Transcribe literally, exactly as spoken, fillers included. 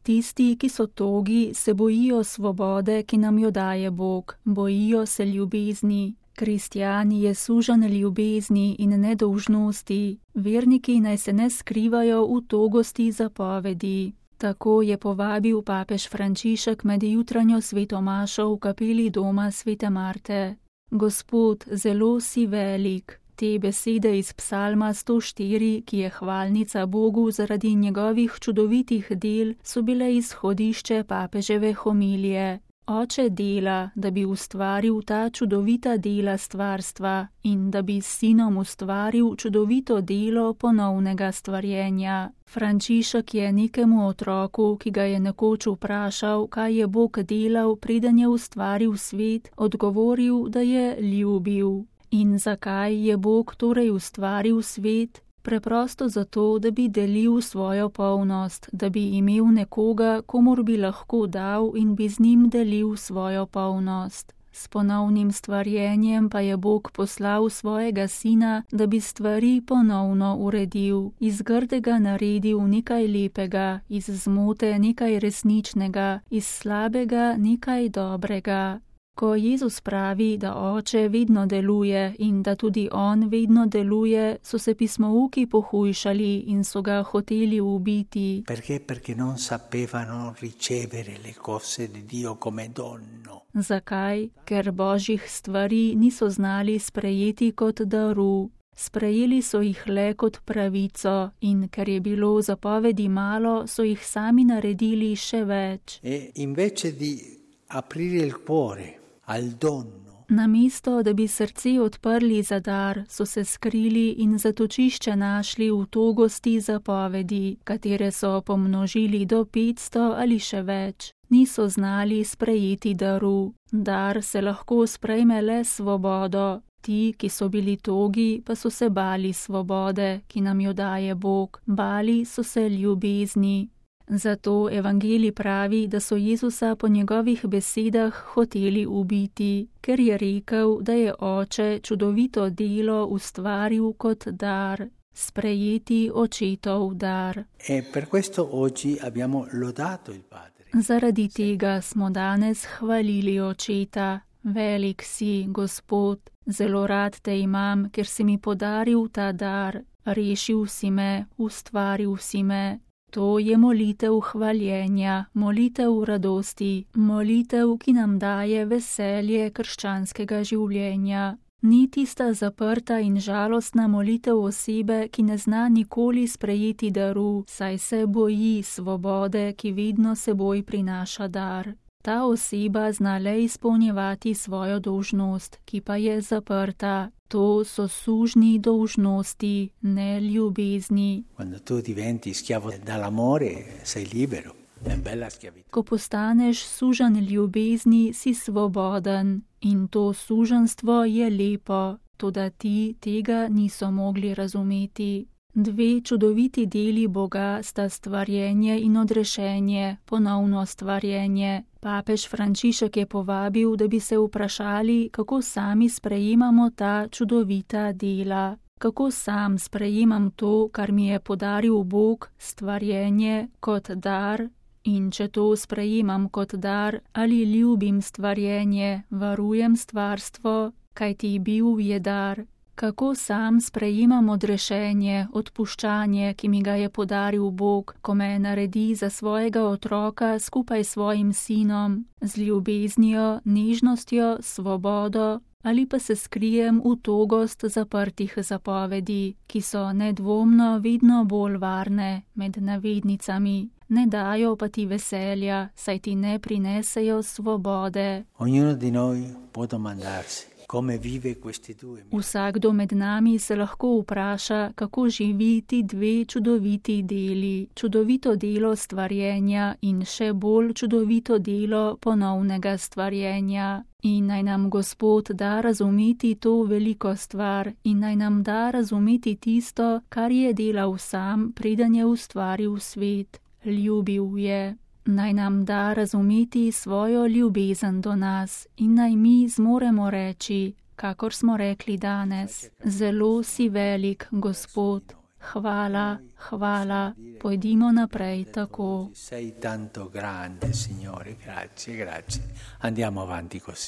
Tisti, ki so togi, se bojijo svobode, ki nam jo daje Bog, bojijo se ljubezni. Kristjan je sužen ljubezni in nedolžnosti, verniki naj se ne skrivajo v togosti zapovedi. Tako je povabil papež Frančišek med jutranjo sveto mašo v kapeli doma svete Marte. Gospod, zelo si velik. Te besede iz psalma sto štiri, ki je hvalnica Bogu zaradi njegovih čudovitih del, so bile izhodišče papeževe homilije. Oče dela, da bi ustvaril ta čudovita dela stvarstva in da bi s sinom ustvaril čudovito delo ponovnega stvarjenja. Frančišek je nekemu otroku, ki ga je nekoč vprašal, kaj je Bog delal, preden je ustvaril svet, odgovoril, da je ljubil. In zakaj je Bog torej ustvaril svet? Preprosto zato, da bi delil svojo polnost, da bi imel nekoga, komur bi lahko dal in bi z njim delil svojo polnost. S ponovnim stvarjenjem pa je Bog poslal svojega sina, da bi stvari ponovno uredil, iz grdega naredil nekaj lepega, iz zmote nekaj resničnega, iz slabega nekaj dobrega. Ko Jezus pravi, da Oče vedno deluje in da tudi On vedno deluje, so se pismouki pohujšali in so ga hoteli ubiti. Perché? Perché non sapevano ricevere le cose di Dio come dono. Zakaj? Ker Božjih stvari niso znali sprejeti kot daru. Sprejeli so jih le kot pravico in ker je bilo zapovedi malo, so jih sami naredili še več. E invece di aprire il cuore al dono. Namesto, da bi srce odprli za dar, so se skrili in zatočišče našli v togosti zapovedi, katere so pomnožili do petsto ali še več. Niso znali sprejeti daru. Dar se lahko sprejme le svobodo. Ti, ki so bili togi, pa so se bali svobode, ki nam jo daje Bog. Bali so se ljubezni. Zato evangelij pravi, da so Jezusa po njegovih besedah hoteli ubiti, ker je rekel, da je Oče čudovito delo ustvaril kot dar, sprejeti očetov dar. E per questo oggi abbiamo lodato il Padre. Zaradi tega smo danes hvalili Očeta. Velik si, Gospod, zelo rad te imam, ker si mi podaril ta dar, rešil si me, ustvaril si me. To je molitev hvaljenja, molitev radosti, molitev, ki nam daje veselje krščanskega življenja. Ni tista zaprta in žalostna molitev osebe, ki ne zna nikoli sprejeti daru, saj se boji svobode, ki vedno seboj prinaša dar. Ta oseba zna le izpolnjevati svojo dolžnost, ki pa je zaprta. To so sužni dolžnosti, ne ljubezni. Quando tu diventi schiavo dall'amore, sei libero. È bella schiavitù. Ko postaneš sužen ljubezni, si svoboden in to suženstvo je lepo, toda ti tega niso mogli razumeti. Dve čudoviti deli Boga sta stvarjenje in odrešenje, ponovno stvarjenje. Papež Frančišek je povabil, da bi se vprašali, kako sami sprejemamo ta čudovita dela. Kako sam sprejemam to, kar mi je podaril Bog, stvarjenje, kot dar, in če to sprejemam kot dar, ali ljubim stvarjenje, varujem stvarstvo, kajti bil je dar. Kako sam sprejemam odrešenje, odpuščanje, ki mi ga je podaril Bog, ko me naredi za svojega otroka skupaj s svojim sinom, z ljubeznijo, nežnostjo, svobodo, ali pa se skrijem v togost zaprtih zapovedi, ki so nedvomno vedno bolj varne med navednicami. Ne dajo pa ti veselja, saj ti ne prinesejo svobode. Ognuno di noi può domandarsi. Vsakdo med nami se lahko vpraša, kako živi ti dve čudoviti deli, čudovito delo stvarjenja in še bolj čudovito delo ponovnega stvarjenja. In naj nam Gospod da razumeti to veliko stvar in naj nam da razumeti tisto, kar je delal sam, preden je ustvaril svet. Ljubil je. Naj nam da razumeti svojo ljubezen do nas in naj mi zmoremo reči, kakor smo rekli danes, zelo si velik, Gospod. hvala, hvala, pojdimo naprej tako. Sei tanto grande, Signore, grazie, grazie. Andiamo avanti così.